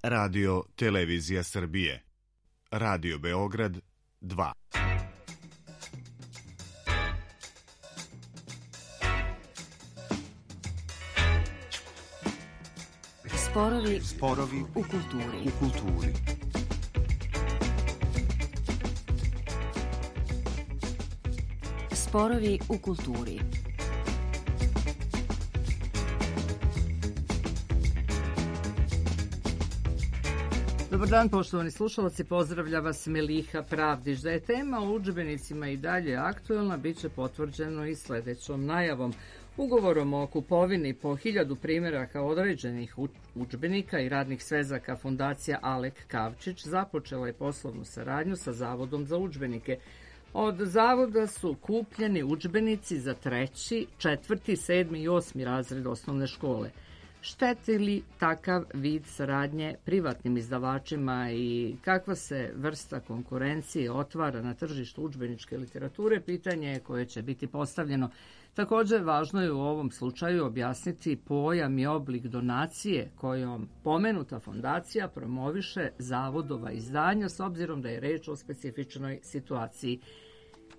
Radio Televizija Srbije. Radio Beograd 2. Sporovi u kulturi. Sporovi u kulturi. Dobar dan, poštovani slušalci, pozdravlja vas Meliha Pravdić. Da je tema o udžbenicima i dalje aktuelna, bit će potvrđeno i sledećom najavom. Ugovorom o kupovini po 1000 primjeraka određenih udžbenika i radnih svezaka Fondacija Alek Kavčić započela je poslovnu saradnju sa Zavodom za udžbenike. Od zavoda su kupljeni udžbenici za 3., 4., 7. i 8. razred osnovne škole. Šteti li takav vid saradnje privatnim izdavačima i kakva se vrsta konkurencije otvara na tržištu udžbeničke literature, pitanje je koje će biti postavljeno. Također, važno je u ovom slučaju objasniti pojam i oblik donacije kojom pomenuta fondacija promoviše zavodova izdanja, s obzirom da je reč o specifičnoj situaciji.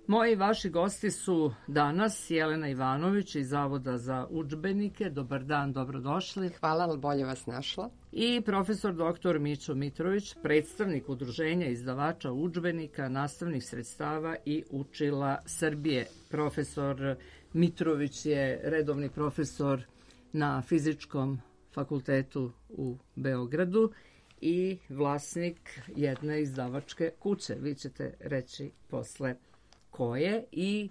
Moji vaši gosti su danas Jelena Ivanović iz Zavoda za udžbenike. Dobar dan, dobrodošli. Hvala, ali bolje vas našla. I profesor dr. Mićo Mitrović, predstavnik Udruženja izdavača udžbenika, nastavnih sredstava i učila Srbije. Profesor Mitrović je redovni profesor na Fizičkom fakultetu u Beogradu i vlasnik jedne izdavačke kuće. Vi ćete reći posle koje i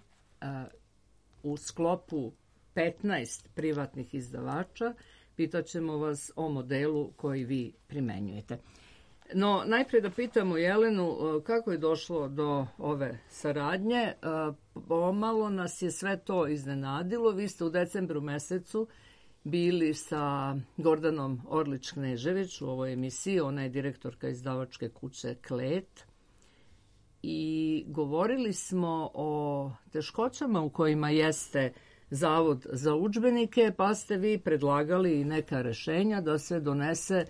u sklopu 15 privatnih izdavača pitaćemo vas o modelu koji vi primenjujete. No, najprije da pitamo Jelenu kako je došlo do ove saradnje. Pomalo nas je sve to iznenadilo. Vi ste u decembru mesecu bili sa Gordanom Orlić-Knežević u ovoj emisiji. Ona je direktorka izdavačke kuće Klet. I govorili smo o teškoćama u kojima jeste Zavod za udžbenike, pa ste vi predlagali neka rešenja da se donese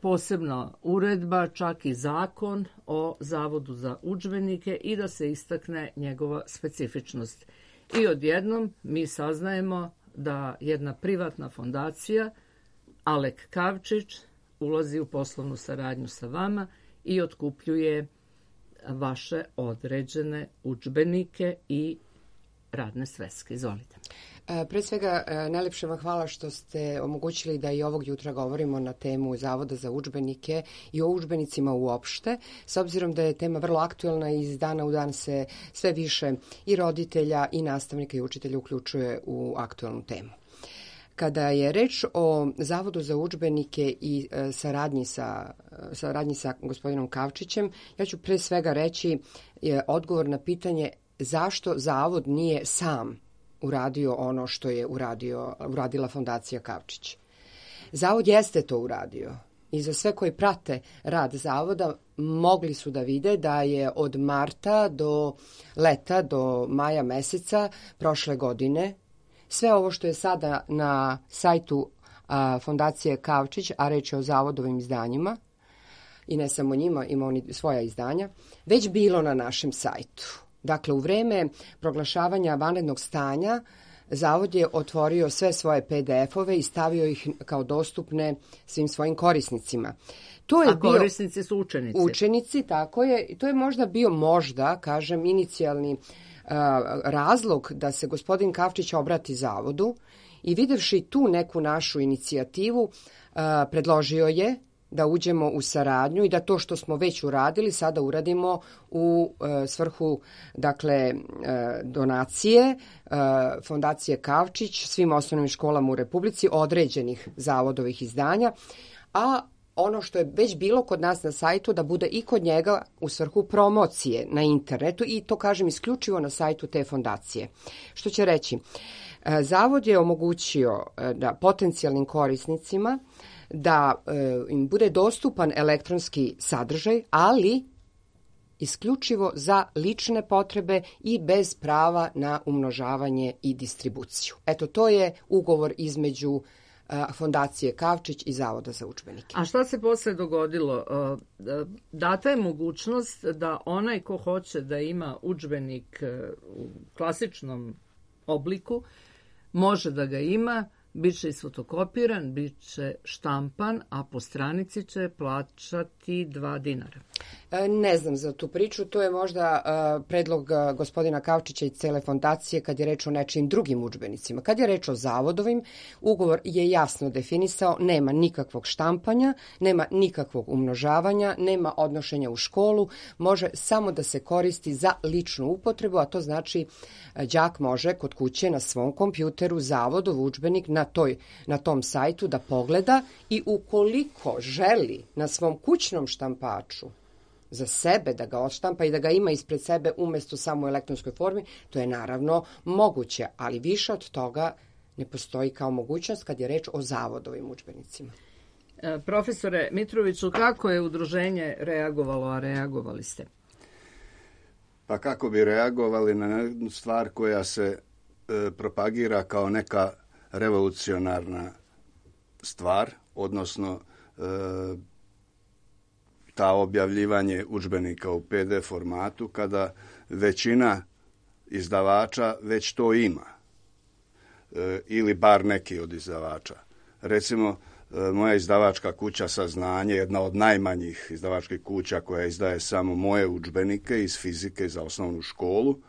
posebna uredba, čak i zakon o Zavodu za udžbenike i da se istakne njegova specifičnost. I odjednom mi saznajemo da jedna privatna fondacija, Alek Kavčić, ulazi u poslovnu saradnju sa vama i otkupljuje vaše određene udžbenike i radne sveske. Izvolite. Pre svega, najlepše vam hvala što ste omogućili da i ovog jutra govorimo na temu Zavoda za udžbenike i o udžbenicima uopšte, s obzirom da je tema vrlo aktuelna i iz dana u dan se sve više i roditelja i nastavnika i učitelja uključuje u aktuelnu temu. Kada je reč o Zavodu za udžbenike i saradnji sa gospodinom Kavčićem, ja ću pre svega reći odgovor na pitanje zašto Zavod nije sam uradio ono što je uradila fondacija Kavčić. Zavod jeste to uradio i za sve koji prate rad Zavoda mogli su da vide da je od marta do leta, do maja meseca prošle godine, sve ovo što je sada na sajtu fondacije Kavčić, a reč je o zavodovim izdanjima, i ne samo njima, ima oni svoja izdanja, već bilo na našem sajtu. Dakle, u vreme proglašavanja vanrednog stanja, Zavod je otvorio sve svoje PDF-ove i stavio ih kao dostupne svim svojim korisnicima. Korisnici su učenici. Učenici, tako je. To je možda bio, kažem, inicijalni razlog da se gospodin Kavčić obrati Zavodu i videvši tu neku našu inicijativu, predložio je da uđemo u saradnju i da to što smo već uradili sada uradimo u svrhu, dakle, donacije fondacije Kavčić svim osnovnim školama u Republici određenih zavodovih izdanja, a ono što je već bilo kod nas na sajtu da bude i kod njega u svrhu promocije na internetu i to kažem isključivo na sajtu te fondacije. Što će reći, Zavod je omogućio da potencijalnim korisnicima da im bude dostupan elektronski sadržaj, ali isključivo za lične potrebe i bez prava na umnožavanje i distribuciju. Eto, to je ugovor između Fondacije Kavčić i Zavoda za udžbenike. A šta se posle dogodilo? Data je mogućnost da onaj ko hoće da ima udžbenik u klasičnom obliku, može da ga ima, bit će isfotokopiran, bit će štampan, a po stranici će plaćati 2 dinara. Ne znam za tu priču, to je možda predlog gospodina Kavčića i cele fondacije kad je reč o nečijim drugim udžbenicima. Kad je reč o zavodovim, ugovor je jasno definisao, nema nikakvog štampanja, nema nikakvog umnožavanja, nema odnošenja u školu, može samo da se koristi za ličnu upotrebu, a to znači đak može kod kuće na svom kompjuteru zavodov udžbenik na tom sajtu da pogleda i ukoliko želi na svom kućnom štampaču za sebe da ga odštampa i da ga ima ispred sebe umesto samo u elektronskoj formi, to je naravno moguće, ali više od toga ne postoji kao mogućnost kad je reč o zavodovim udžbenicima. Profesore Mitroviću, kako je udruženje reagovalo, a reagovali ste? Pa kako bi reagovali na jednu stvar koja se propagira kao neka revolucionarna stvar, odnosno ta objavljivanje udžbenika u PDF formatu, kada većina izdavača već to ima, ili bar neki od izdavača. Recimo, moja izdavačka kuća Saznanje, jedna od najmanjih izdavačkih kuća koja izdaje samo moje udžbenike iz fizike za osnovnu školu,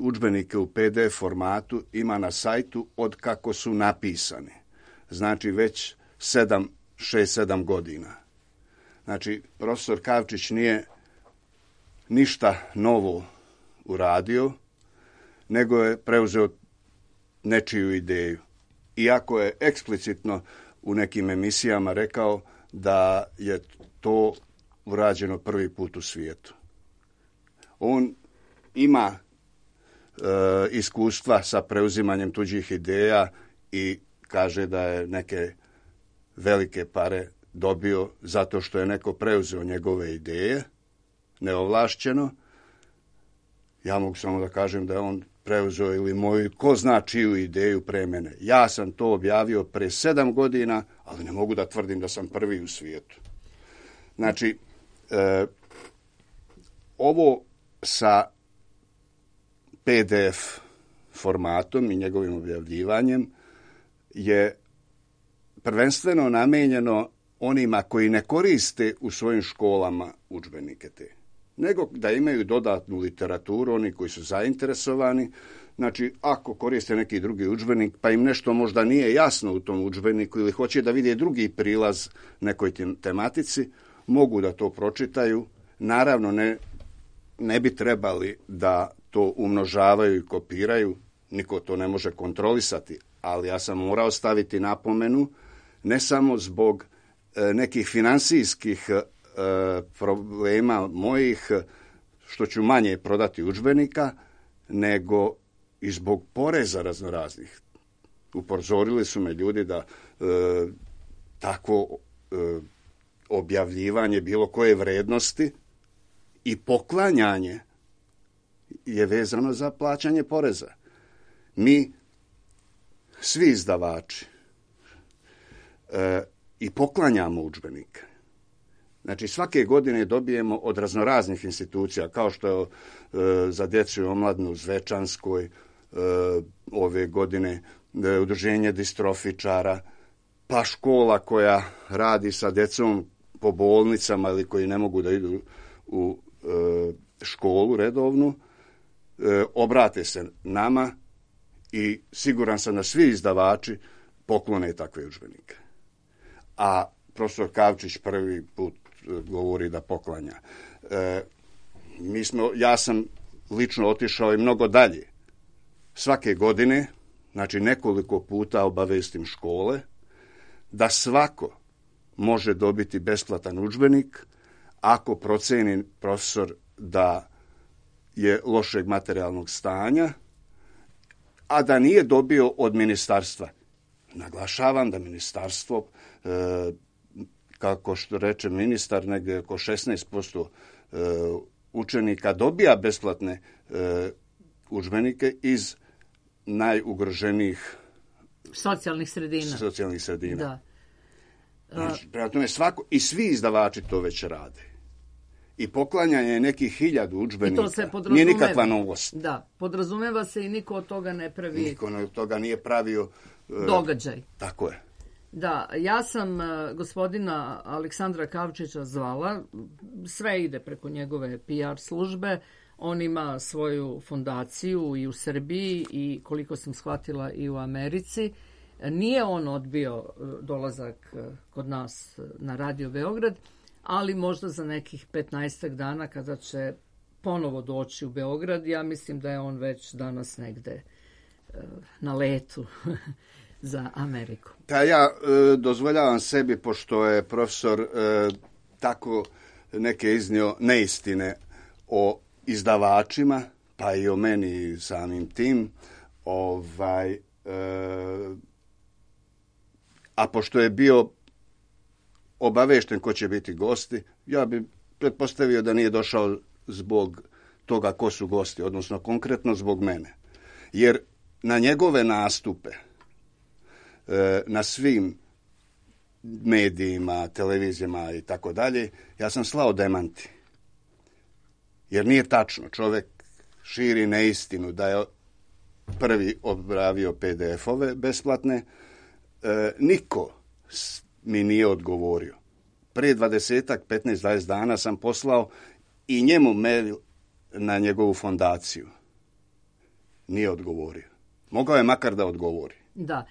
udžbenike u PDF formatu ima na sajtu od kako su napisani. Znači već 6-7 godina. Znači, profesor Kavčić nije ništa novo uradio, nego je preuzeo nečiju ideju. Iako je eksplicitno u nekim emisijama rekao da je to urađeno prvi put u svijetu. On ima iskustva sa preuzimanjem tuđih ideja i kaže da je neke velike pare dobio zato što je neko preuzeo njegove ideje, neovlašćeno. Ja mogu samo da kažem da je on preuzeo ili moju, ko zna čiju ideju pre mene. Ja sam to objavio pre 7 godina, ali ne mogu da tvrdim da sam prvi u svijetu. Znači, ovo sa PDF formatom i njegovim objavljivanjem je prvenstveno namijenjeno onima koji ne koriste u svojim školama udžbenike te, nego da imaju dodatnu literaturu, oni koji su zainteresovani. Znači, ako koriste neki drugi udžbenik, pa im nešto možda nije jasno u tom udžbeniku ili hoće da vide drugi prilaz nekoj tematici, mogu da to pročitaju. Naravno, ne bi trebali da to umnožavaju i kopiraju, niko to ne može kontrolisati, ali ja sam morao staviti napomenu, ne samo zbog nekih finansijskih problema mojih, što ću manje prodati udžbenika, nego i zbog poreza raznoraznih. Upozorili su me ljudi da takvo objavljivanje bilo koje vrednosti i poklanjanje je vezano za plaćanje poreza. Mi, svi izdavači, i poklanjamo udžbenike. Znači, svake godine dobijemo od raznoraznih institucija, kao što je za djecu i omladinu u Zvečanskoj, ove godine udruženje distrofičara, pa škola koja radi sa djecom po bolnicama ili koji ne mogu da idu u školu redovnu, obrate se nama i siguran sam da svi izdavači poklone takve udžbenike. A profesor Kavčić prvi put govori da poklanja. Ja sam lično otišao i mnogo dalje. Svake godine, znači nekoliko puta obavestim škole, da svako može dobiti besplatan udžbenik ako proceni profesor da je lošeg materijalnog stanja, a da nije dobio od ministarstva. Naglašavam da ministarstvo, kako što reče ministar, negdje oko 16% učenika dobija besplatne udžbenike iz najugroženijih socijalnih sredina. Da. Znači, prema tome i svi izdavači to već rade. I poklanjanje nekih 1000 udžbenika nije nikakva novost. Da, podrazumeva se i niko od toga ne pravi... Niko od toga nije pravio... događaj. Tako je. Da, ja sam gospodina Aleksandra Kavčića zvala, sve ide preko njegove PR službe, on ima svoju fondaciju i u Srbiji i koliko sam shvatila i u Americi. Nije on odbio dolazak kod nas na Radio Beograd, ali možda za nekih 15 dana kada će ponovo doći u Beograd, ja mislim da je on već danas negde na letu za Ameriku. Ja dozvoljavam sebi, pošto je profesor tako neke iznio neistine o izdavačima, pa i o meni samim tim, a pošto je bio obavešten ko će biti gosti, ja bi pretpostavio da nije došao zbog toga ko su gosti, odnosno konkretno zbog mene. Jer na njegove nastupe, na svim medijima, televizijama i tako dalje, ja sam slao demanti. Jer nije tačno. Čovjek širi neistinu da je prvi objavio PDF-ove besplatne. Niko mi nije odgovorio. Prije 15-20 dana sam poslao i njemu mail na njegovu fondaciju. Nije odgovorio. Mogao je makar da odgovori. Da,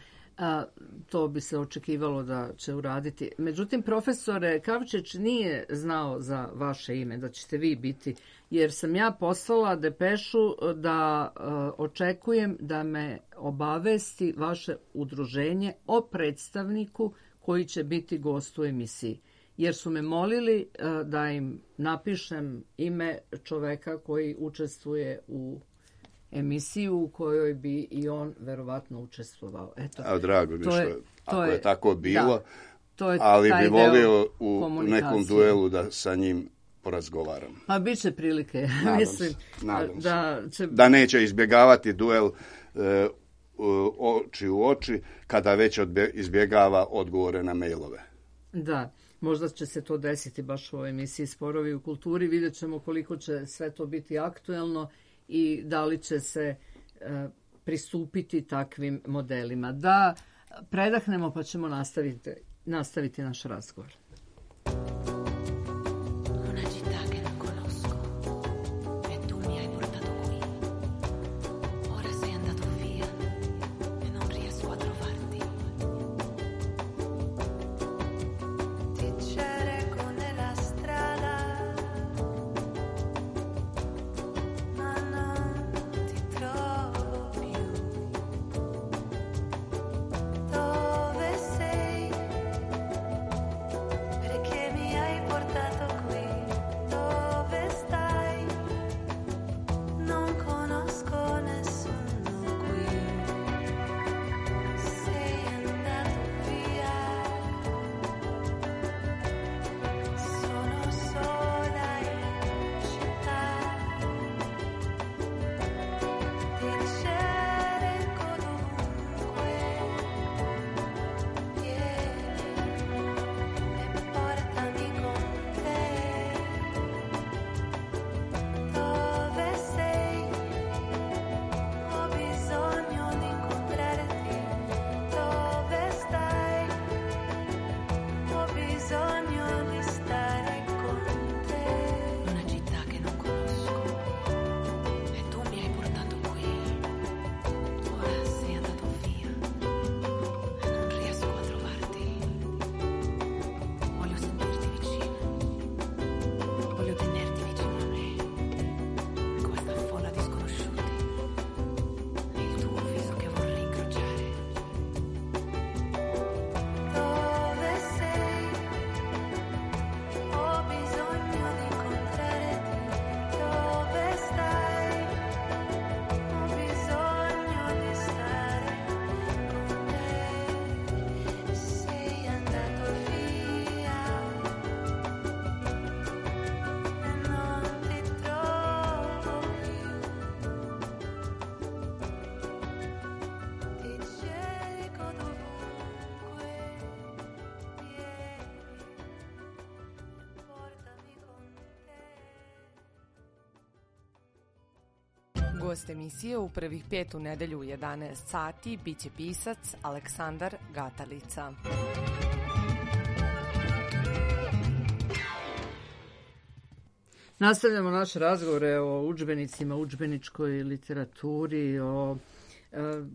to bi se očekivalo da će uraditi. Međutim, profesore, Kavčić nije znao za vaše ime, da ćete vi biti, jer sam ja poslala depešu da očekujem da me obavesti vaše udruženje o predstavniku koji će biti gost u emisiji. Jer su me molili da im napišem ime čoveka koji učestvuje u emisiju u kojoj bi i on verovatno učestvovao. Eto, drago mi ako je tako bilo, ali bi volio u nekom duelu da sa njim porazgovaram. Pa bit će prilike. Nadam se. Da neće izbjegavati duel oči u oči kada već izbjegava odgovore na mailove. Da, možda će se to desiti baš u ovoj emisiji Sporovi u kulturi. Vidjet ćemo koliko će sve to biti aktuelno i da li će se pristupiti takvim modelima. Da predahnemo pa ćemo nastaviti naš razgovor. Gost emisije u prvih 5 u nedelju u 11 sati biće pisac Aleksandar Gatalica. Nastavljamo naše razgovore o udžbenicima, udžbeničkoj literaturi, o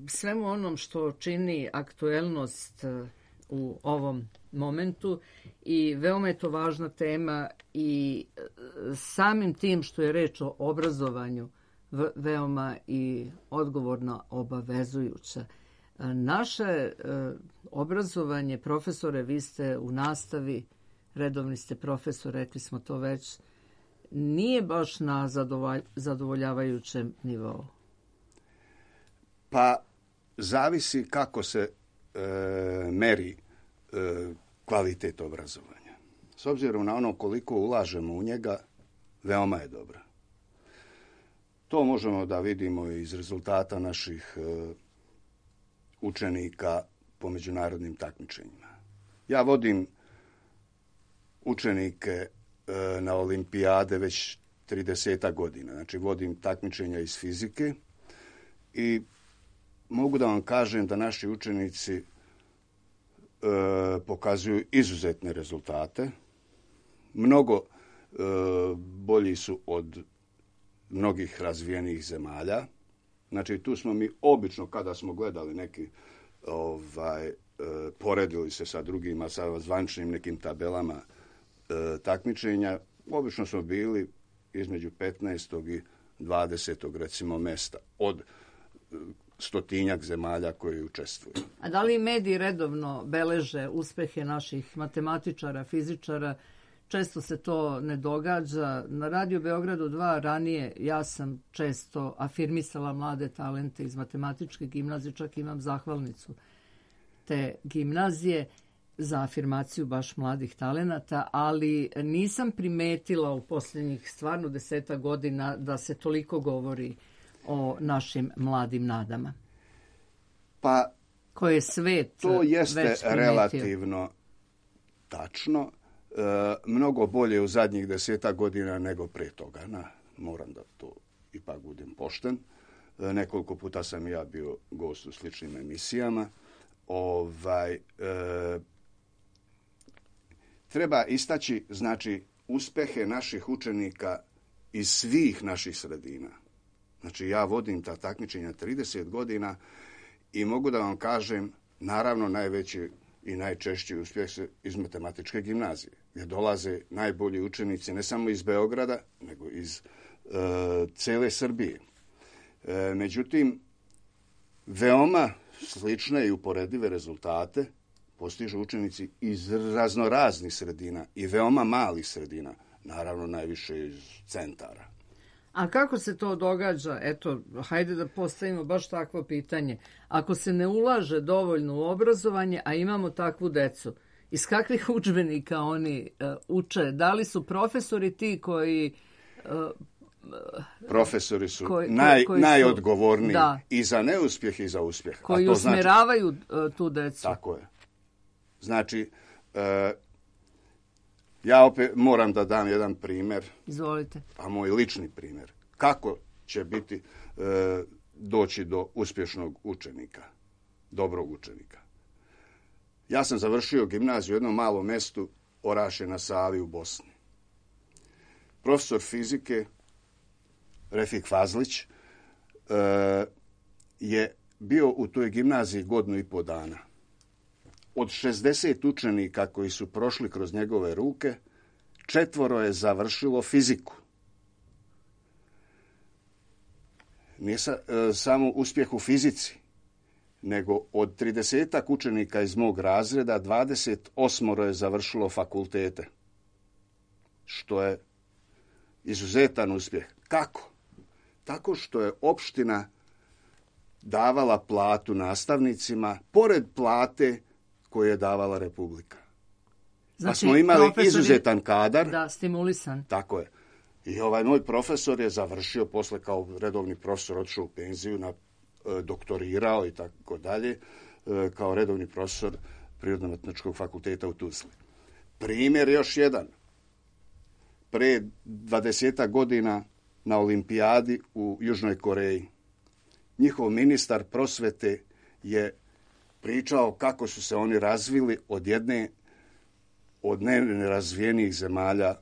svemu onom što čini aktuelnost u ovom momentu i veoma je to važna tema i samim tim što je reč o obrazovanju veoma i odgovorno obavezujuća. Naše obrazovanje, profesore, vi ste u nastavi, redovni ste profesor, rekli smo to već, nije baš na zadovoljavajućem nivou. Pa zavisi kako se meri kvalitet obrazovanja. S obzirom na ono koliko ulažemo u njega, veoma je dobra. To možemo da vidimo iz rezultata naših učenika po međunarodnim takmičenjima. Ja vodim učenike na olimpijade već 30 godina. Znači, vodim takmičenja iz fizike i mogu da vam kažem da naši učenici pokazuju izuzetne rezultate. Mnogo bolji su od mnogih razvijenih zemalja. Znači, tu smo mi obično, kada smo gledali neki, poredili se sa drugima, sa zvaničnim nekim tabelama takmičenja, obično smo bili između 15. i 20. recimo mesta od 100-tinjak zemalja koji učestvuju. A da li mediji redovno beleže uspehe naših matematičara, fizičara? Često se to ne događa. Na Radio Beogradu 2 ranije ja sam često afirmisala mlade talente iz matematičke gimnazije, čak imam zahvalnicu te gimnazije za afirmaciju baš mladih talenata, ali nisam primetila u posljednjih stvarno 10 godina da se toliko govori o našim mladim nadama. Pa koje svet to jeste već primetio. Relativno tačno. Mnogo bolje u zadnjih 10 godina nego pre toga. Moram da to ipak budem pošten. Nekoliko puta sam ja bio gost u sličnim emisijama. Treba istaći, znači, uspehe naših učenika iz svih naših sredina. Znači, ja vodim ta takmičenja 30 godina i mogu da vam kažem, naravno, najveći i najčešći uspjeh se iz matematičke gimnazije, gdje dolaze najbolji učenici ne samo iz Beograda, nego iz cele Srbije. Međutim, veoma slične i uporedive rezultate postižu učenici iz raznoraznih sredina i veoma malih sredina, naravno najviše iz centara. A kako se to događa? Eto, hajde da postavimo baš takvo pitanje. Ako se ne ulaže dovoljno u obrazovanje, a imamo takvu decu, iz kakvih udžbenika oni uče? Da li su profesori ti koji... Profesori su najodgovorniji i za neuspjeh i za uspjeh. Koji usmjeravaju tu decu. Tako je. Znači, ja opet moram da dam jedan primjer. Izvolite. A moj lični primjer. Kako će biti doći do uspješnog učenika, dobrog učenika. Ja sam završio gimnaziju u jednom malom mjestu Orašje na Savi u Bosni. Profesor fizike Refik Fazlić je bio u toj gimnaziji 1,5 godina. Od 60 učenika koji su prošli kroz njegove ruke, 4 je završilo fiziku. Nije samo uspjeh u fizici, nego od 30 učenika iz mog razreda 28 je završilo fakultete, što je izuzetan uspjeh. Kako? Tako što je opština davala platu nastavnicima, pored plate koju je davala Republika. Znači, pa smo imali izuzetan kadar. Da, stimulisan. Tako je. I ovaj moj profesor je završio posle kao redovni profesor, otišao u penziju, doktorirao i tako dalje, kao redovni profesor Prirodno-matematičkog fakulteta u Tuzli. Primjer još jedan. Pre 20 godina na olimpijadi u Južnoj Koreji. Njihov ministar prosvete je pričao kako su se oni razvili od jedne od nerazvijenijih zemalja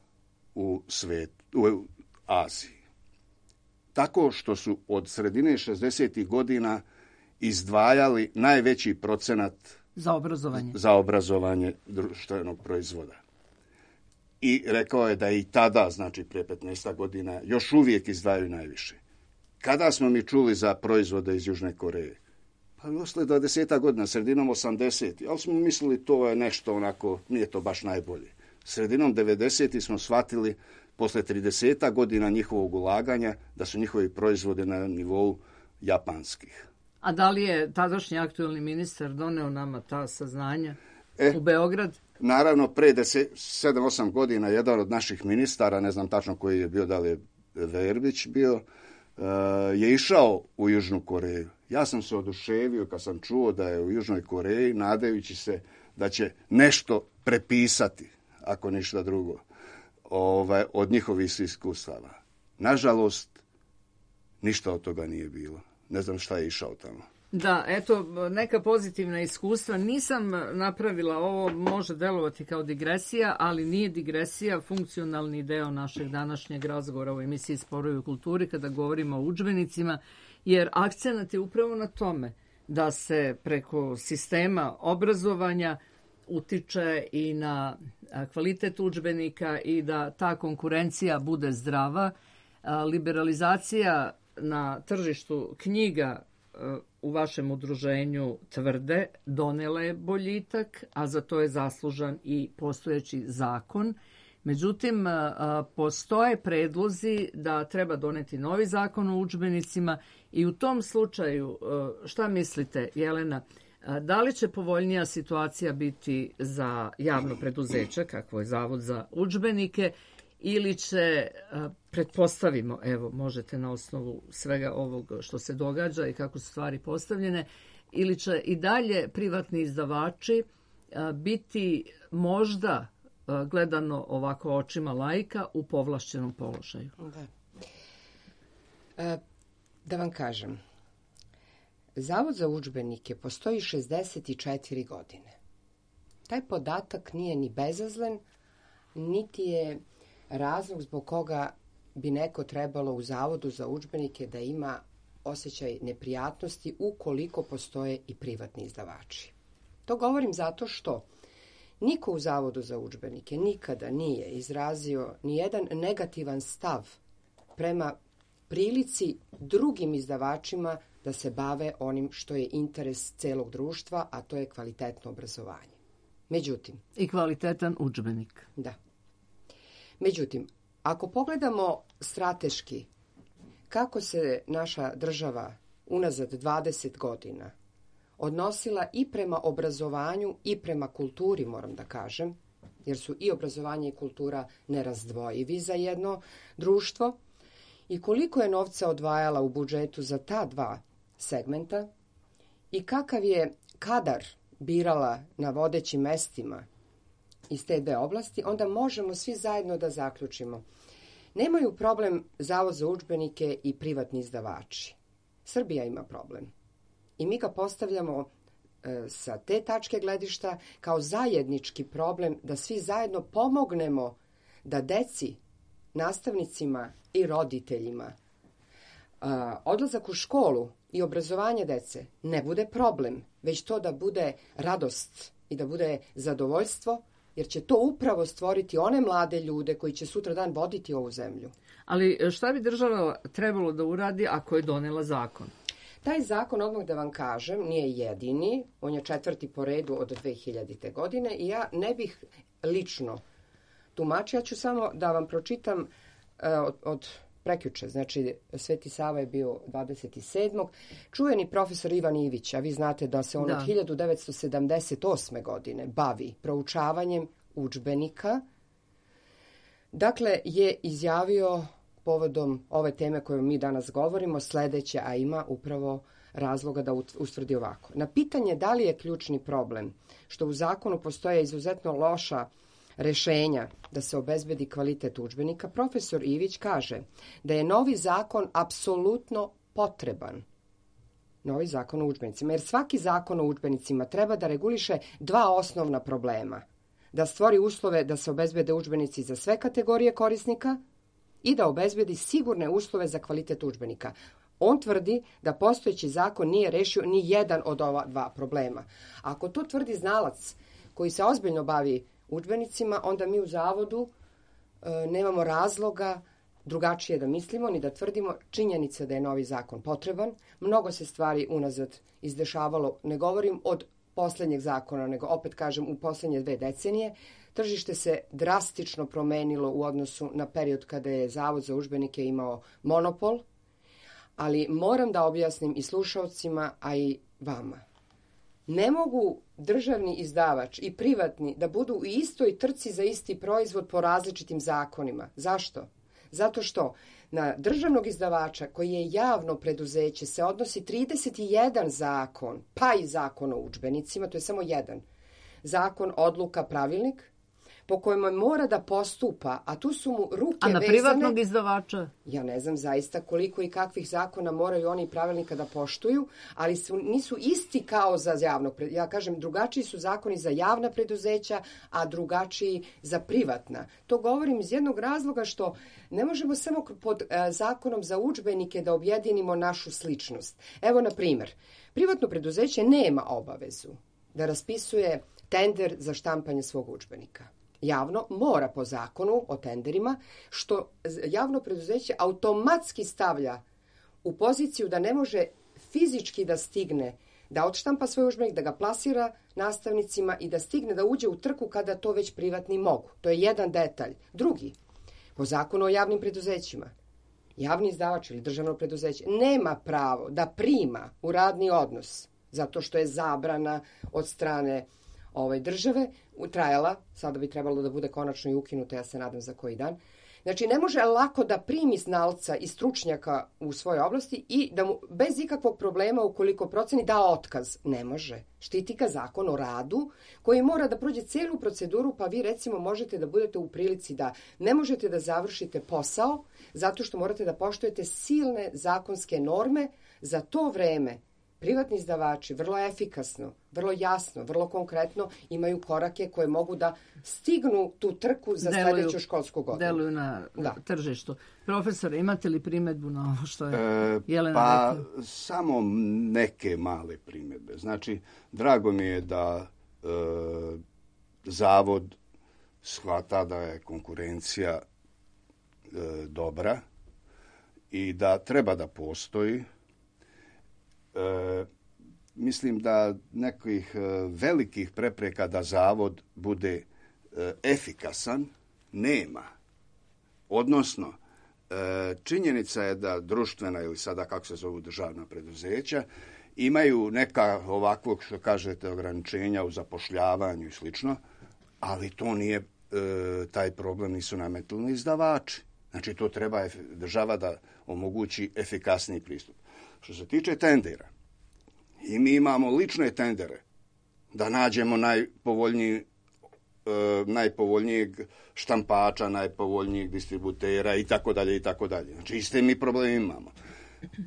u svijetu, u Aziji. Tako što su od sredine 60. godina izdvajali najveći procenat za obrazovanje društvenog proizvoda. I rekao je da je i tada, znači prije 15 godina, još uvijek izdvajaju najviše. Kada smo mi čuli za proizvode iz Južne Koreje? Pa posle 20 godina, sredinom 80. Ali smo mislili to je nešto onako, nije to baš najbolje. Sredinom 90. smo shvatili, posle 30 godina njihovog ulaganja, da su njihovi proizvodi na nivou japanskih. A da li je tadašnji aktuelni ministar doneo nama ta saznanja u Beograd? Naravno, pre 7-8 godina jedan od naših ministara, ne znam tačno koji je bio, da li je Verbić bio, je išao u Južnu Koreju. Ja sam se oduševio kad sam čuo da je u Južnoj Koreji, nadajući se da će nešto prepisati, ako ništa drugo, od njihovih iskustava. Nažalost, ništa od toga nije bilo. Ne znam šta je išao tamo. Da, eto, neka pozitivna iskustva. Nisam napravila ovo, može delovati kao digresija, ali nije digresija, funkcionalni deo našeg današnjeg razgovora u emisiji Sporovi u kulturi kada govorimo o udžbenicima, jer akcenat je upravo na tome da se preko sistema obrazovanja utiče i na kvalitet udžbenika i da ta konkurencija bude zdrava. Liberalizacija na tržištu knjiga u vašem udruženju tvrde donela je boljitak, a za to je zaslužan i postojeći zakon. Međutim, postoje predlozi da treba doneti novi zakon o udžbenicima i u tom slučaju, šta mislite, Jelena, da li će povoljnija situacija biti za javno preduzeće, kakvo je Zavod za udžbenike, ili će, pretpostavimo, evo, možete na osnovu svega ovog što se događa i kako su stvari postavljene, ili će i dalje privatni izdavači biti možda, gledano ovako očima laika, u povlašćenom položaju? Da vam kažem, Zavod za udžbenike postoji 64 godine. Taj podatak nije ni bezazlen, niti je razlog zbog koga bi neko trebalo u Zavodu za udžbenike da ima osjećaj neprijatnosti ukoliko postoje i privatni izdavači. To govorim zato što niko u Zavodu za udžbenike nikada nije izrazio ni jedan negativan stav prema prilici drugim izdavačima da se bave onim što je interes celog društva, a to je kvalitetno obrazovanje. Međutim, i kvalitetan udžbenik. Da. Međutim, ako pogledamo strateški kako se naša država unazad 20 godina odnosila i prema obrazovanju i prema kulturi, moram da kažem, jer su i obrazovanje i kultura nerazdvojivi za jedno društvo, i koliko je novca odvajala u budžetu za ta dva segmenta i kakav je kadar birala na vodećim mestima iz te dve oblasti, onda možemo svi zajedno da zaključimo. Nemaju problem Zavod za udžbenike i privatni izdavači. Srbija ima problem. I mi ga postavljamo sa te tačke gledišta kao zajednički problem da svi zajedno pomognemo da deci, nastavnicima i roditeljima odlazak u školu i obrazovanje dece ne bude problem, već to da bude radost i da bude zadovoljstvo, jer će to upravo stvoriti one mlade ljude koji će sutra dan voditi ovu zemlju. Ali šta bi država trebalo da uradi ako je donela zakon? Taj zakon, odmah da vam kažem, nije jedini. On je 4. po redu od 2000. godine i ja ne bih lično tumačila. Ja ću samo da vam pročitam od prekjuče, znači Sveti Sava je bio 27. Čuveni profesor Ivan Ivić, a vi znate da se on od 1978. godine bavi proučavanjem udžbenika, dakle je izjavio povodom ove teme koju mi danas govorimo sledeće, a ima upravo razloga da ustvrdi ovako. Na pitanje da li je ključni problem što u zakonu postoje izuzetno loša rešenja da se obezbedi kvalitet udžbenika, profesor Ivić kaže da je novi zakon apsolutno potreban. Novi zakon o udžbenicima, jer svaki zakon o udžbenicima treba da reguliše dva osnovna problema. Da stvori uslove da se obezbede udžbenici za sve kategorije korisnika i da obezbedi sigurne uslove za kvalitet udžbenika. On tvrdi da postojeći zakon nije rešio ni jedan od ova dva problema. Ako to tvrdi znalac koji se ozbiljno bavi udžbenicima, onda mi u zavodu nemamo razloga drugačije da mislimo ni da tvrdimo. Činjenica da je novi zakon potreban. Mnogo se stvari unazad izdešavalo, ne govorim od posljednjeg zakona, nego opet kažem u posljednje 2 decenije. Tržište se drastično promenilo u odnosu na period kada je Zavod za udžbenike imao monopol, ali moram da objasnim i slušalcima, a i vama. Ne mogu državni izdavač i privatni da budu u istoj trci za isti proizvod po različitim zakonima. Zašto? Zato što na državnog izdavača koji je javno preduzeće se odnosi 31 zakon, pa i zakon o udžbenicima, to je samo jedan. Zakon, odluka, pravilnik, po kojima mora da postupa, a tu su mu ruke vezane. A na privatnog izdavača? Ja ne znam zaista koliko i kakvih zakona moraju oni pravilnika da poštuju, ali nisu isti kao za javno. Ja kažem, drugačiji su zakoni za javna preduzeća, a drugačiji za privatna. To govorim iz jednog razloga što ne možemo samo pod zakonom za udžbenike da objedinimo našu sličnost. Evo, na primjer, privatno preduzeće nema obavezu da raspisuje tender za štampanje svog udžbenika. Javno mora po zakonu o tenderima, što javno preduzeće automatski stavlja u poziciju da ne može fizički da stigne da odštampa svoj udžbenik, da ga plasira nastavnicima i da stigne da uđe u trku kada to već privatni mogu. To je jedan detalj. Drugi, po zakonu o javnim preduzećima, javni izdavač ili državno preduzeće nema pravo da prima u radni odnos, zato što je zabrana od strane države trajala, sada bi trebalo da bude konačno i ukinuta, ja se nadam za koji dan. Znači, ne može lako da primi znalca i stručnjaka u svojoj oblasti i da mu bez ikakvog problema, ukoliko proceni, da otkaz. Ne može. Štiti ga zakon o radu koji mora da prođe celu proceduru, pa vi recimo možete da budete u prilici da ne možete da završite posao zato što morate da poštujete silne zakonske norme. Za to vreme privatni izdavači vrlo efikasno, vrlo jasno, vrlo konkretno imaju korake koje mogu da stignu tu trku za sljedeću školsku godinu. Deluju na tržištu. Profesor, imate li primjedbu na ovo što je Jelena rekla? Pa samo neke male primjedbe. Znači, drago mi je da Zavod shvata da je konkurencija dobra i da treba da postoji. Mislim da nekih velikih prepreka da Zavod bude efikasan nema. Odnosno, činjenica je da društvena ili sada kako se zovu državna preduzeća imaju neka ovakvog, što kažete, ograničenja u zapošljavanju i slično, ali to nije, taj problem nisu nametnuli izdavači. Znači, to treba država da omogući efikasniji pristup. Što se tiče tendera, i mi imamo lične tendere da nađemo najpovoljnijeg štampača, najpovoljnijeg distributera i tako dalje i tako dalje. Znači, iste mi problemi imamo.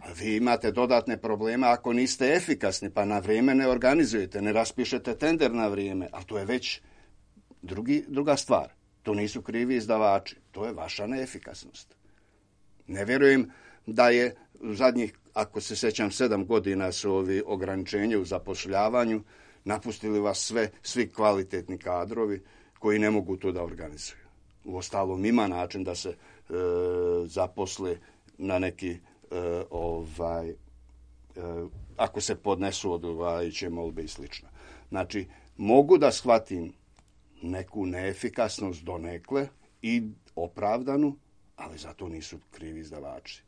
A vi imate dodatne probleme ako niste efikasni, pa na vrijeme ne organizujete, ne raspišete tender na vrijeme, ali to je već druga stvar. To nisu krivi izdavači, to je vaša neefikasnost. Ne vjerujem da je u zadnjih, ako se sjećam, 7 godina su ovi ograničenja u zapošljavanju, napustili vas svi kvalitetni kadrovi koji ne mogu to da organizuju. Uostalom ima način da se zaposle na neki ako se podnesu odgovarajuće molbe i slično. Znači, mogu da shvatim neku neefikasnost donekle i opravdanu, ali zato nisu krivi izdavači.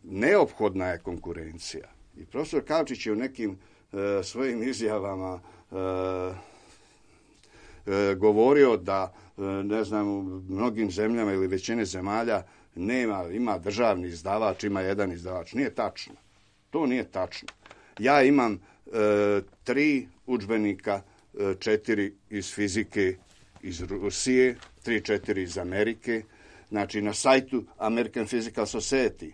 Neophodna je konkurencija. I profesor Kavčić je u nekim svojim izjavama govorio da, ne znam, u mnogim zemljama ili većine zemalja ima državni izdavač, ima jedan izdavač. Nije tačno. To nije tačno. Ja imam 3 udžbenika, 4 iz fizike iz Rusije, 3-4 iz Amerike. Znači, na sajtu American Physical Society,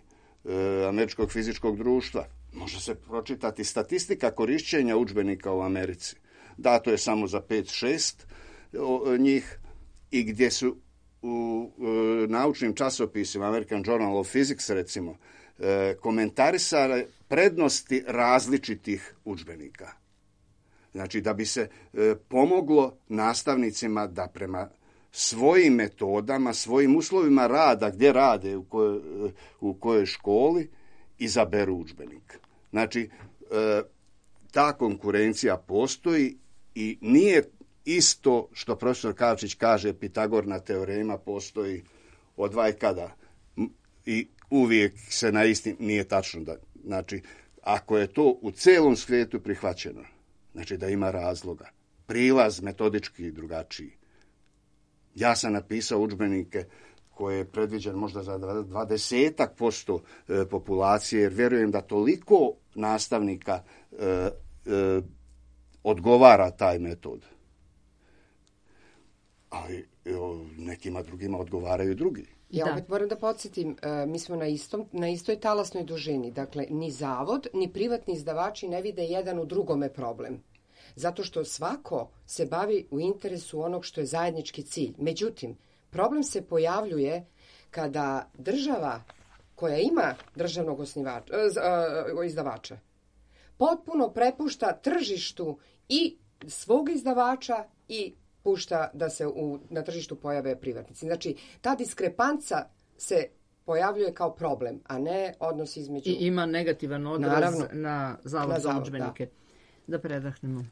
Američkog fizičkog društva, može se pročitati statistika korišćenja udžbenika u Americi. Dato je samo za 5-6 njih i gdje su u naučnim časopisima, American Journal of Physics recimo, komentarisale prednosti različitih udžbenika. Znači, da bi se pomoglo nastavnicima da prema svojim metodama, svojim uslovima rada, gdje rade, u kojoj školi, izaberu udžbenik. Znači, ta konkurencija postoji i nije isto što profesor Kavčić kaže, Pitagorina teorema postoji od vajkada i uvijek se na istim, nije tačno. Znači, ako je to u celom svijetu prihvaćeno, znači da ima razloga. Prilaz metodički drugačiji. Ja sam napisao udžbenike koje je predviđen možda za 20% populacije, jer vjerujem da toliko nastavnika odgovara taj metod. Ali nekima drugima odgovaraju drugi. Ja opet moram da podsjetim, mi smo na istoj talasnoj dužini. Dakle, ni zavod, ni privatni izdavači ne vide jedan u drugome problem. Zato što svako se bavi u interesu onog što je zajednički cilj. Međutim, problem se pojavljuje kada država koja ima državnog izdavača potpuno prepušta tržištu i svog izdavača i pušta da se na tržištu pojave privatnici. Znači, ta diskrepanca se pojavljuje kao problem, a ne odnos između... I ima negativan odraz na Zavod za udžbenike. Da predahnemo.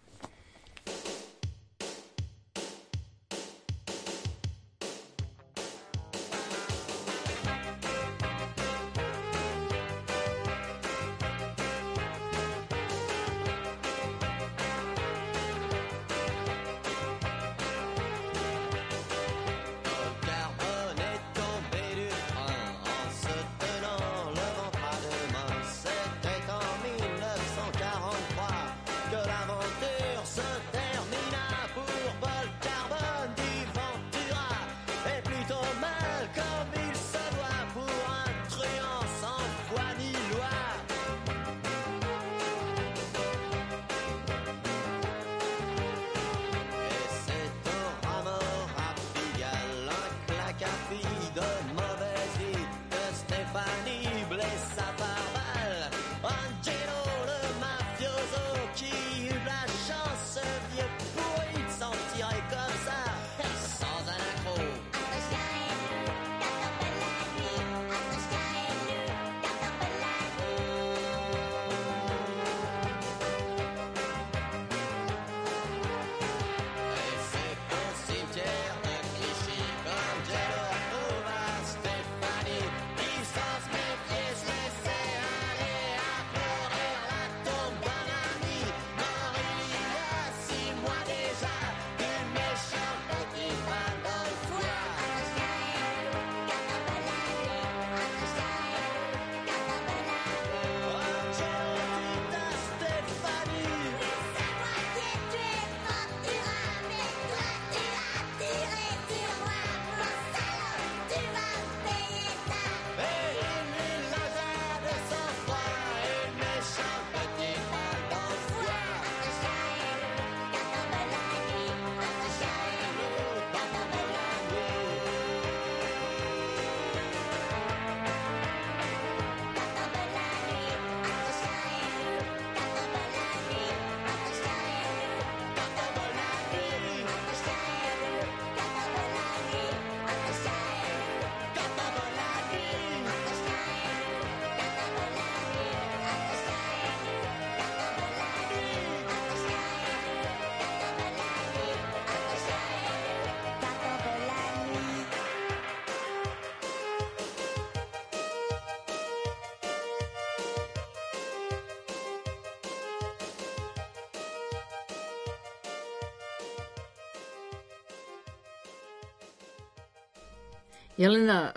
Jelena,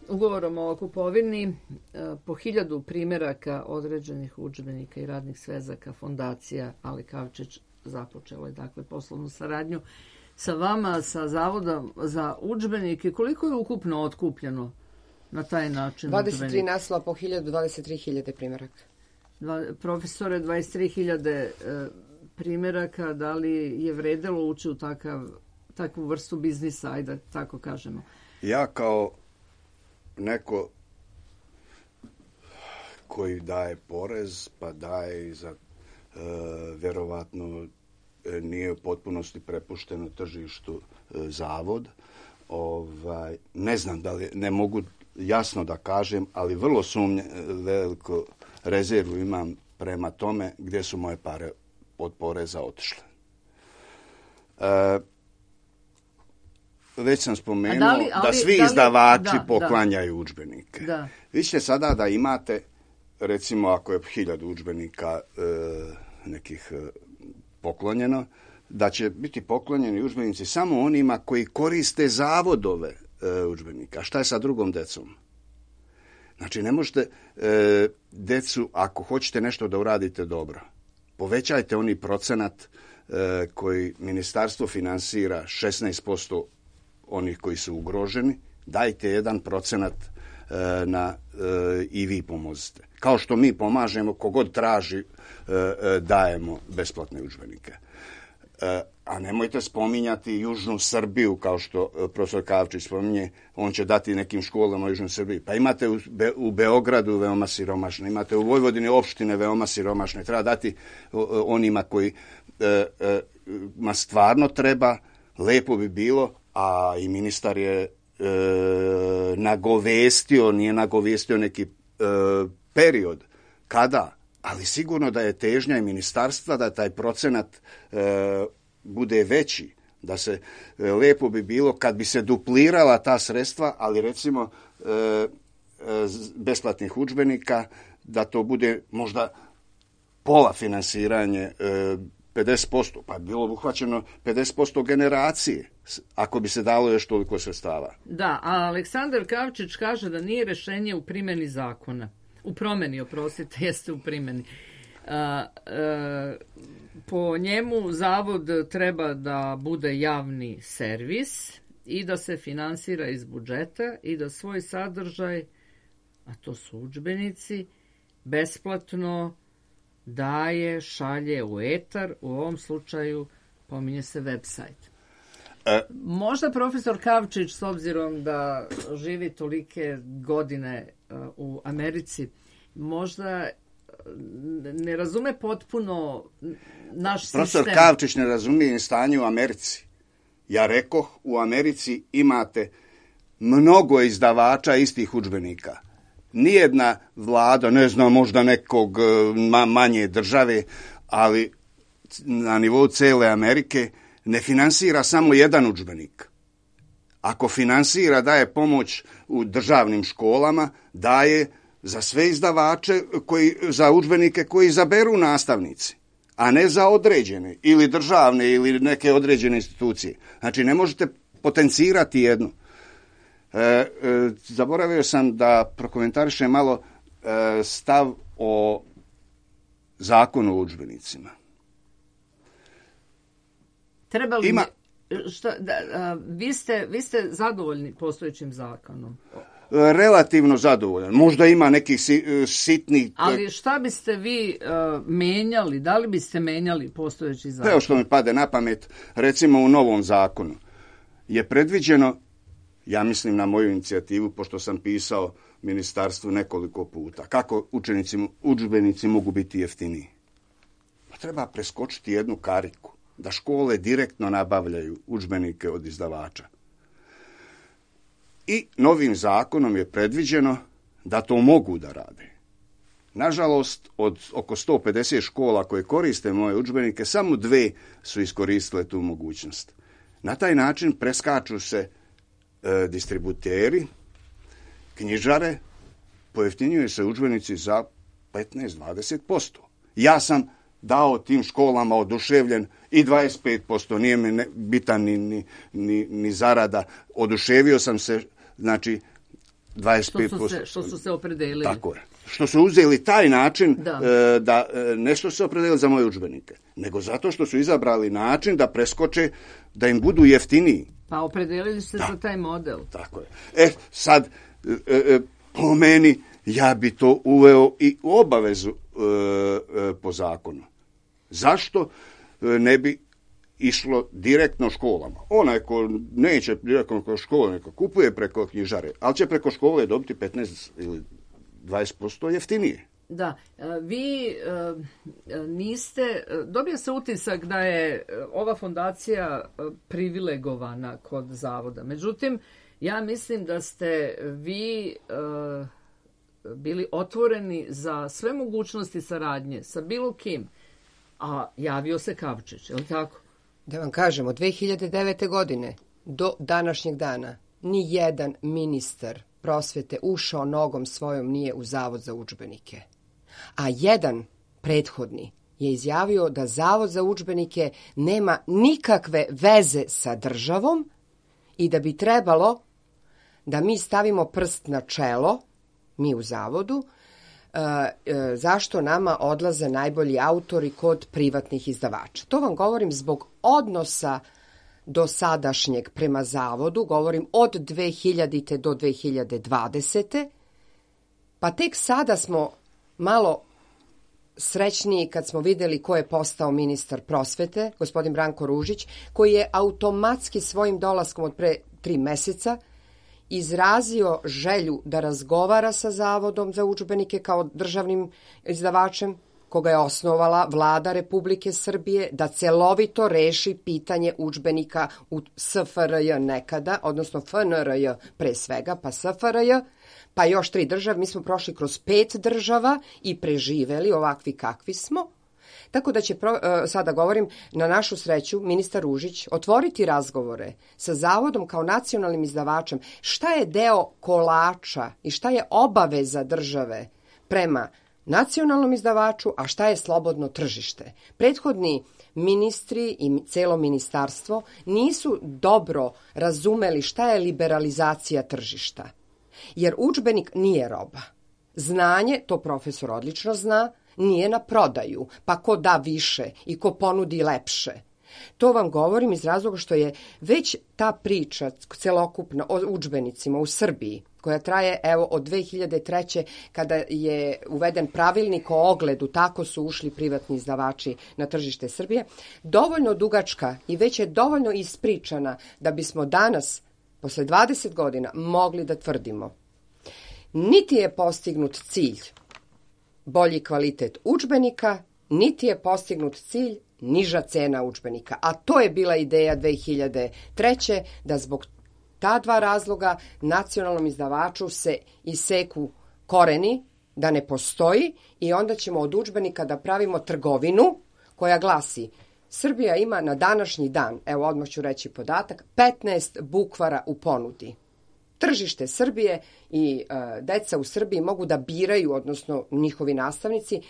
ugovorom o kupovini po 1000 primjeraka određenih udžbenika i radnih svezaka fondacija Ali Kavčić započela je dakle poslovnu saradnju sa vama, sa Zavoda za udžbenike, koliko je ukupno otkupljeno na taj način 23 naslova po 23.000 primjeraka. Profesore, 23.000 primjeraka, da li je vredelo ući u takvu vrstu biznisa, ajde tako kažemo? Ja kao neko koji daje porez, pa daje i za vjerovatno nije u potpunosti prepušteno tržištu zavod. Ne znam da li, ne mogu jasno da kažem, ali vrlo veliku rezervu imam prema tome gdje su moje pare od poreza otišle. Već sam spomenuo da svi izdavači poklanjaju udžbenike. Vi ćete sada da imate, recimo ako je 1000 udžbenika nekih poklonjeno, da će biti poklonjeni udžbenici samo onima koji koriste zavodove udžbenika. Šta je sa drugom decom? Znači, ne možete decu, ako hoćete nešto da uradite dobro, povećajte oni procenat koji ministarstvo finansira 16% onih koji su ugroženi, dajte 1% i vi pomozite. Kao što mi pomažemo, kogod traži, dajemo besplatne udžbenike. A nemojte spominjati Južnu Srbiju, kao što profesor Kavčić spominje, on će dati nekim školama u Južnoj Srbiji. Pa imate u Beogradu veoma siromašne, imate u Vojvodini opštine veoma siromašne. Treba dati onima koji stvarno treba, lepo bi bilo, a i ministar je nije nagovestio neki period. Kada? Ali sigurno da je težnja i ministarstva da taj procenat bude veći, da se lepo bi bilo kad bi se duplirala ta sredstva, ali recimo besplatnih udžbenika, da to bude možda pola finansiranje, 50%, pa bi bilo uhvaćeno 50% generacije, ako bi se dalo još toliko sredstava. Da, a Aleksandar Kavčić kaže da nije rješenje u primjeni zakona. U promjeni, oprostite, jeste u primjeni. Po njemu zavod treba da bude javni servis i da se finansira iz budžeta i da svoj sadržaj, a to su udžbenici, besplatno daje, šalje u etar, u ovom slučaju pominje se website. Možda profesor Kavčić, s obzirom da živi tolike godine u Americi, možda ne razume potpuno naš sistem. Profesor Kavčić ne razumije stanje u Americi. Ja rekoh, u Americi imate mnogo izdavača istih udžbenika. Nijedna vlada, ne znam, možda nekog manje države, ali na nivou cele Amerike ne finansira samo jedan udžbenik. Ako finansira, daje pomoć u državnim školama, daje za sve izdavače, za udžbenike koji izaberu nastavnici, a ne za određene ili državne ili neke određene institucije. Znači, ne možete potencirati jednu. Zaboravio sam da prokomentarišem malo stav o zakonu o udžbenicima. Treba li vi ste zadovoljni postojećim zakonom? Relativno zadovoljan. Možda ima nekih sitnih... Ali šta biste vi menjali? Da li biste menjali postojeći zakon? Evo što mi pade na pamet, recimo u novom zakonu je predviđeno, ja mislim na moju inicijativu, pošto sam pisao ministarstvu nekoliko puta, kako udžbenici mogu biti jeftiniji. Pa treba preskočiti jednu kariku, da škole direktno nabavljaju udžbenike od izdavača. I novim zakonom je predviđeno da to mogu da rade. Nažalost, od oko 150 škola koje koriste moje udžbenike, samo 2 su iskoristile tu mogućnost. Na taj način preskaču se distributeri, knjižare, pojeftinjuju se udžbenici za 15-20%. Ja sam dao tim školama oduševljen i 25%, nije mi bitan ni zarada. Oduševio sam se, znači 25%. Što su se opredelili. Tako je. što su uzeli taj način da nešto se opredelili za moje udžbenike, nego zato što su izabrali način da preskoče, da im budu jeftiniji. Pa opredelili se za taj model. Tako je. Sad, po meni, ja bi to uveo i u obavezu po zakonu. Zašto ne bi išlo direktno školama? Onaj ko neće direktno preko škole, neka kupuje preko knjižare, ali će preko škole dobiti 15 ili 20% jeftinije. Da, vi niste, dobio se utisak da je ova fondacija privilegovana kod zavoda. Međutim, ja mislim da ste vi bili otvoreni za sve mogućnosti saradnje sa bilo kim, a javio se Kavčić, je li tako? Da vam kažem, od 2009. godine do današnjeg dana ni jedan ministar prosvete ušao nogom svojom nije u Zavod za udžbenike. A jedan prethodni je izjavio da Zavod za udžbenike nema nikakve veze sa državom i da bi trebalo da mi stavimo prst na čelo, mi u Zavodu, zašto nama odlaze najbolji autori kod privatnih izdavača. To vam govorim zbog odnosa do sadašnjeg prema Zavodu, govorim od 2000. do 2020. Pa tek sada smo malo srećniji kad smo vidjeli ko je postao ministar prosvete, gospodin Branko Ružić, koji je automatski svojim dolaskom od pre 3 meseca izrazio želju da razgovara sa Zavodom za udžbenike kao državnim izdavačem, koga je osnovala Vlada Republike Srbije, da celovito reši pitanje udžbenika u SFRJ nekada, odnosno FNRJ pre svega, pa SFRJ, pa još 3 države. Mi smo prošli kroz 5 država i preživeli ovakvi kakvi smo. Tako da će, sada govorim, na našu sreću, ministar Ružić otvoriti razgovore sa Zavodom kao nacionalnim izdavačem. Šta je deo kolača i šta je obaveza države prema nacionalnom izdavaču, a šta je slobodno tržište? Prethodni ministri i celo ministarstvo nisu dobro razumeli šta je liberalizacija tržišta. Jer udžbenik nije roba. Znanje, to profesor odlično zna, nije na prodaju, pa ko da više i ko ponudi lepše. To vam govorim iz razloga što je već ta priča celokupna o udžbenicima u Srbiji, koja traje evo od 2003. kada je uveden pravilnik o ogledu, tako su ušli privatni izdavači na tržište Srbije, dovoljno dugačka i već je dovoljno ispričana da bismo danas, posle 20 godina, mogli da tvrdimo. Niti je postignut cilj bolji kvalitet udžbenika, niti je postignut cilj niža cena udžbenika. A to je bila ideja 2003. da zbog ta 2 razloga nacionalnom izdavaču se iseku koreni, da ne postoji i onda ćemo od udžbenika da pravimo trgovinu koja glasi: Srbija ima na današnji dan, evo odmah ću reći podatak, 15 bukvara u ponudi. Tržište Srbije i deca u Srbiji mogu da biraju, odnosno njihovi nastavnici,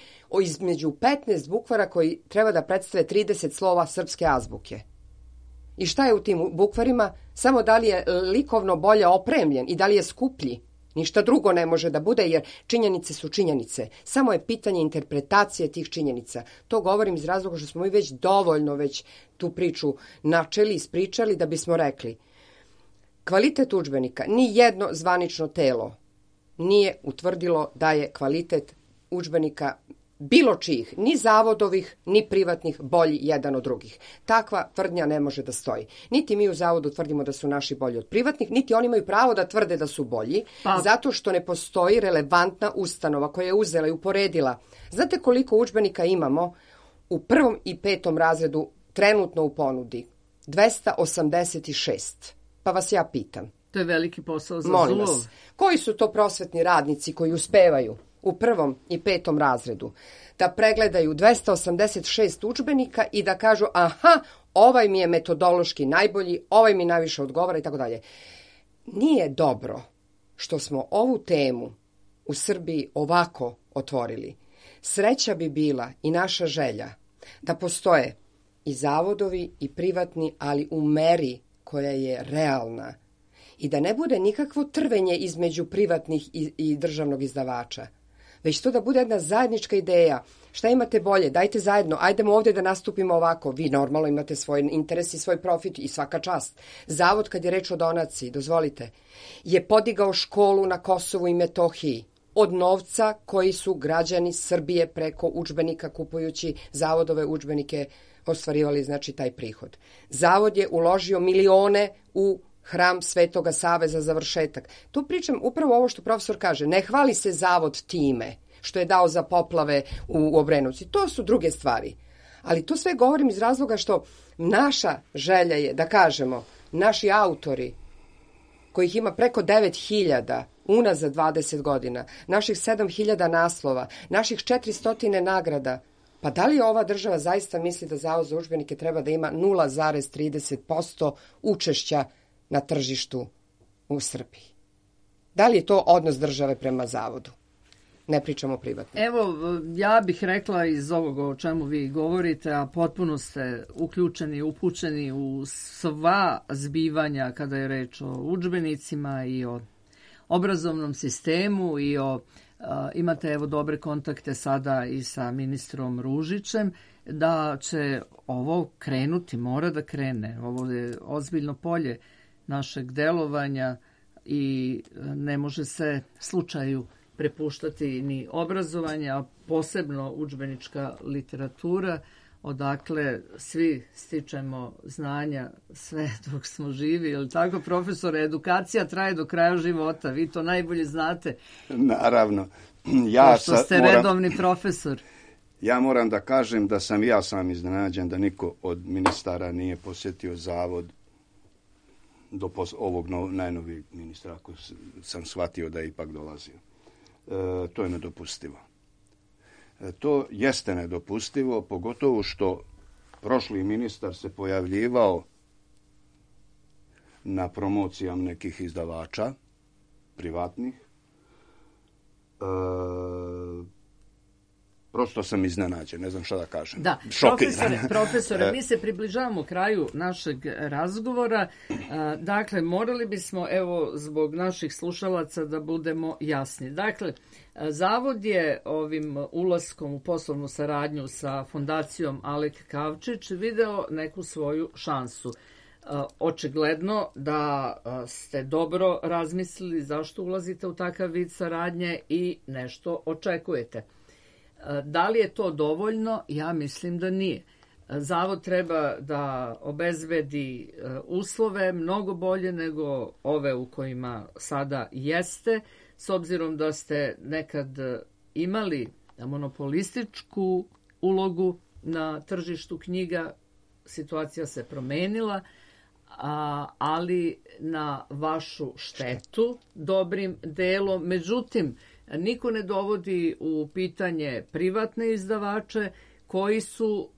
između 15 bukvara koji treba da predstave 30 slova srpske azbuke. I šta je u tim bukvarima? Samo da li je likovno bolje opremljen i da li je skuplji. Ništa drugo ne može da bude, jer činjenice su činjenice. Samo je pitanje interpretacije tih činjenica. To govorim iz razloga što smo mi već dovoljno tu priču načeli, ispričali da bismo rekli: kvalitet udžbenika, ni jedno zvanično telo nije utvrdilo da je kvalitet udžbenika bilo čijih, ni zavodovih, ni privatnih, bolji jedan od drugih. Takva tvrdnja ne može da stoji. Niti mi u Zavodu tvrdimo da su naši bolji od privatnih, niti oni imaju pravo da tvrde da su bolji, zato što ne postoji relevantna ustanova koja je uzela i uporedila. Znate koliko udžbenika imamo u 1. i 5. razredu trenutno u ponudi? 286. Pa vas ja pitam. To je veliki posao za Molim Zulov. vas, koji su to prosvetni radnici koji uspevaju u 1. i 5. razredu da pregledaju 286 udžbenika i da kažu: aha, ovaj mi je metodološki najbolji, ovaj mi najviše odgovara i tako dalje. Nije dobro što smo ovu temu u Srbiji ovako otvorili. Sreća bi bila i naša želja da postoje i zavodovi i privatni, ali u meri koja je realna i da ne bude nikakvo trvenje između privatnih i državnog izdavača. već to da bude jedna zajednička ideja. Šta imate bolje? Dajte zajedno, ajdemo ovdje da nastupimo ovako. Vi normalno imate svoj interes i svoj profit i svaka čast. Zavod, kad je reč o donaciji, dozvolite, je podigao školu na Kosovu i Metohiji od novca koji su građani Srbije preko udžbenika kupujući zavodove udžbenike ostvarivali, znači, taj prihod. Zavod je uložio milione u hram Svetoga Save za završetak. Tu pričam upravo ovo što profesor kaže. Ne hvali se zavod time što je dao za poplave u Obrenovcu. To su druge stvari. Ali to sve govorim iz razloga što naša želja je da kažemo, naši autori, kojih ima preko 9.000 unazad 20 godina, naših 7.000 naslova, naših 400 nagrada, pa da li ova država zaista misli da Zavod za udžbenike treba da ima 0,30% učešća na tržištu u Srbiji? Da li je to odnos države prema Zavodu? Ne pričamo privatno. Evo, ja bih rekla iz ovoga o čemu vi govorite, a potpuno ste uključeni i upućeni u sva zbivanja kada je reč o udžbenicima i o obrazovnom sistemu i imate evo dobre kontakte sada i sa ministrom Ružićem, da će ovo krenuti, mora da krene. Ovo je ozbiljno polje našeg delovanja i ne može se slučaju prepuštati ni obrazovanje, a posebno udžbenička literatura, odakle svi stičemo znanja sve dok smo živi. Je li tako, profesore? Edukacija traje do kraja života. Vi to najbolje znate. Naravno. Što ste redovni profesor. Ja moram da kažem da sam ja sam iznenađen da niko od ministara nije posjetio zavod do ovog najnovijeg ministra, ako sam shvatio da je ipak dolazio. To je nedopustivo. To jeste nedopustivo, pogotovo što prošli ministar se pojavljivao na promocijama nekih izdavača, privatnih. Prosto sam iznenađen, ne znam šta da kažem. Da, profesore, mi se približavamo kraju našeg razgovora. Dakle, morali bismo, evo, zbog naših slušalaca da budemo jasni. Dakle, Zavod je ovim ulaskom u poslovnu saradnju sa fondacijom Alek Kavčić video neku svoju šansu. Očigledno da ste dobro razmislili zašto ulazite u takav vid saradnje i nešto očekujete. Da li je to dovoljno? Ja mislim da nije. Zavod treba da obezbedi uslove mnogo bolje nego ove u kojima sada jeste, s obzirom da ste nekad imali monopolističku ulogu na tržištu knjiga, situacija se promenila, ali na vašu štetu dobrim delom. Međutim, niko ne dovodi u pitanje privatne izdavače koji su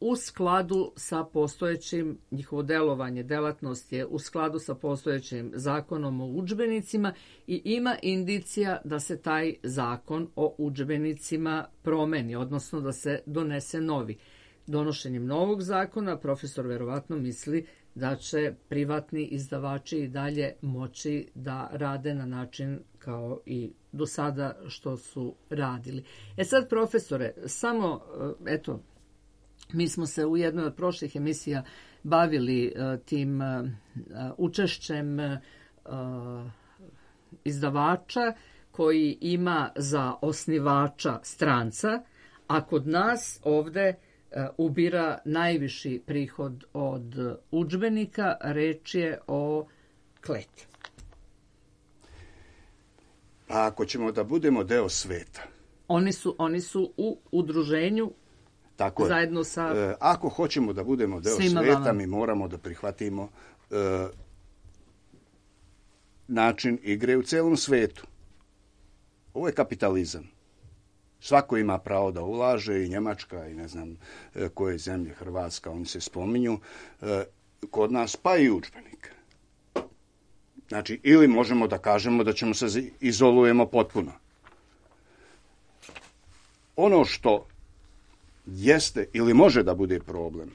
u skladu sa postojećim, njihovo delovanje, delatnost je u skladu sa postojećim zakonom o udžbenicima i ima indicija da se taj zakon o udžbenicima promeni, odnosno da se donese novi. Donošenjem novog zakona profesor verovatno misli da će privatni izdavači i dalje moći da rade na način kao i do sada što su radili. Sad, profesore, samo, eto, mi smo se u jednoj od prošlih emisija bavili tim učešćem izdavača koji ima za osnivača stranca, a kod nas ovde ubira najviši prihod od udžbenika, reč je o Kleti. A ako ćemo da budemo deo sveta. Oni su u udruženju. Tako zajedno sa... Ako hoćemo da budemo deo sveta, mi moramo da prihvatimo način igre u celom svetu. Ovo je kapitalizam. Svako ima pravo da ulaže, i Njemačka, i ne znam koje zemlje, Hrvatska, oni se spominju, kod nas, pa i udžbenik. Znači, ili možemo da kažemo da ćemo se izolujemo potpuno. Ono što jeste ili može da bude problem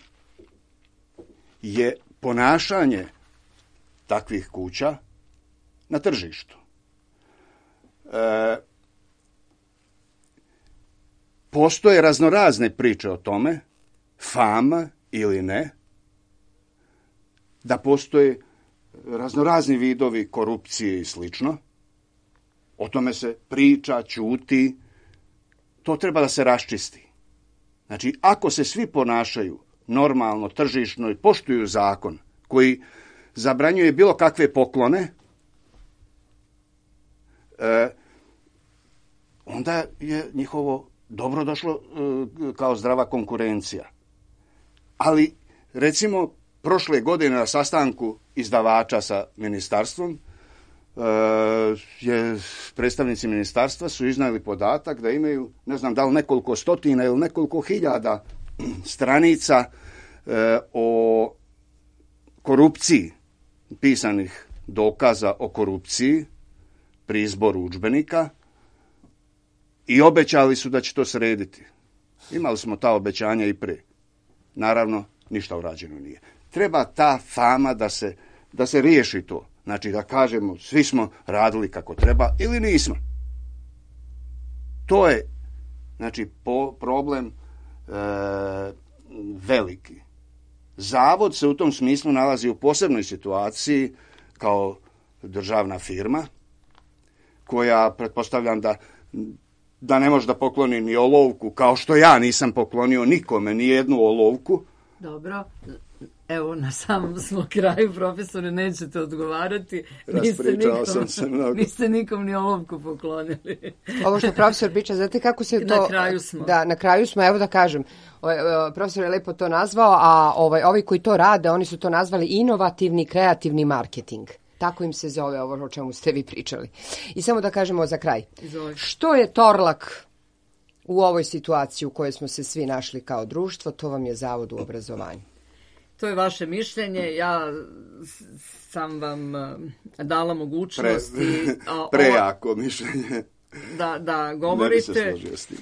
je ponašanje takvih kuća na tržištu. postoje raznorazne priče o tome, fama ili ne, da postoje raznorazni vidovi korupcije i slično. O tome se priča, ćuti. To treba da se raščisti. Znači, ako se svi ponašaju normalno, tržišno i poštuju zakon koji zabranjuje bilo kakve poklone, onda je njihovo dobro došlo kao zdrava konkurencija. Ali, recimo, prošle godine na sastanku izdavača sa ministarstvom, predstavnici ministarstva su iznijeli podatak da imaju, ne znam da li nekoliko stotina ili nekoliko hiljada stranica o korupciji, pisanih dokaza o korupciji pri izboru udžbenika i obećali su da će to srediti. Imali smo ta obećanja i pre. Naravno, ništa urađeno nije. Treba ta fama da se riješi to. Znači da kažemo svi smo radili kako treba ili nismo. To je znači problem veliki. Zavod se u tom smislu nalazi u posebnoj situaciji kao državna firma koja pretpostavljam da ne može da pokloni ni olovku, kao što ja nisam poklonio nikome ni jednu olovku. Dobro. Evo, na samom smo kraju, profesore, nećete odgovarati. Raspričao sam se mnogo. Niste nikom ni olovku poklonili. Ovo što profesor priča, znate kako se to... Na kraju smo. Da, na kraju smo, evo da kažem. Profesor je lepo to nazvao, a ovi koji to rade, oni su to nazvali inovativni, kreativni marketing. Tako im se zove ovo o čemu ste vi pričali. I samo da kažemo za kraj. Izvolite. Što je Torlak u ovoj situaciji u kojoj smo se svi našli kao društvo? To vam je Zavod u obrazovanju. To je vaše mišljenje, ja sam vam dala mogućnost prejako mišljenje da govorite. Ne bi se složio s tim.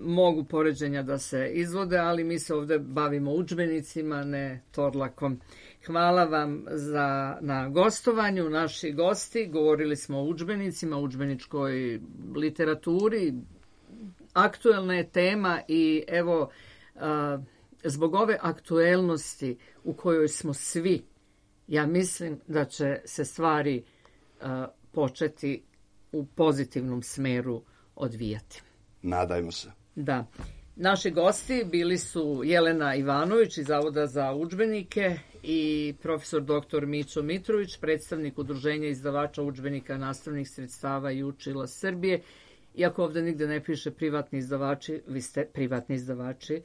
Mogu poređenja da se izvode, ali mi se ovdje bavimo udžbenicima, ne Torlakom. Hvala vam na gostovanju, naši gosti. Govorili smo o udžbenicima, udžbeničkoj literaturi. Aktuelna je tema i evo... Zbog ove aktuelnosti u kojoj smo svi, ja mislim da će se stvari početi u pozitivnom smeru odvijati. Nadajmo se. Da. Naši gosti bili su Jelena Ivanović iz Zavoda za udžbenike i profesor dr. Mićo Mitrović, predstavnik Udruženja izdavača udžbenika, nastavnih sredstava i učila Srbije. Iako ovdje nigde ne piše privatni izdavači, vi ste privatni izdavači.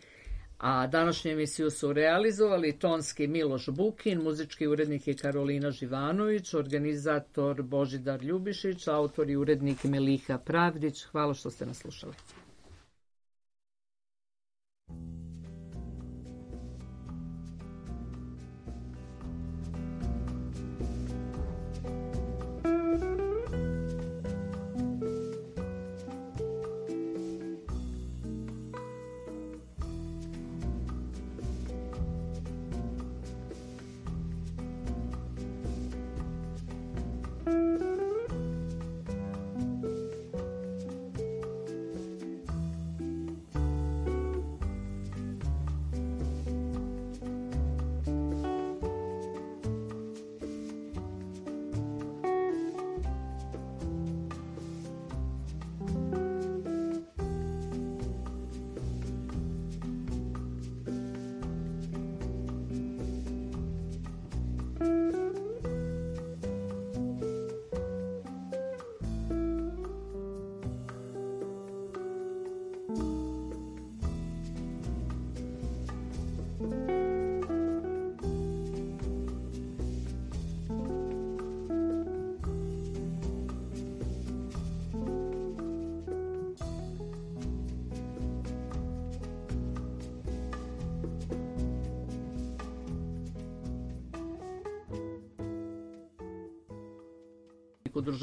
A današnju emisiju su realizovali tonski Miloš Bukin, muzički urednik je Karolina Živanović, organizator Božidar Ljubišić, autor i urednik Meliha Pravdić. Hvala što ste nas slušali. Udruženja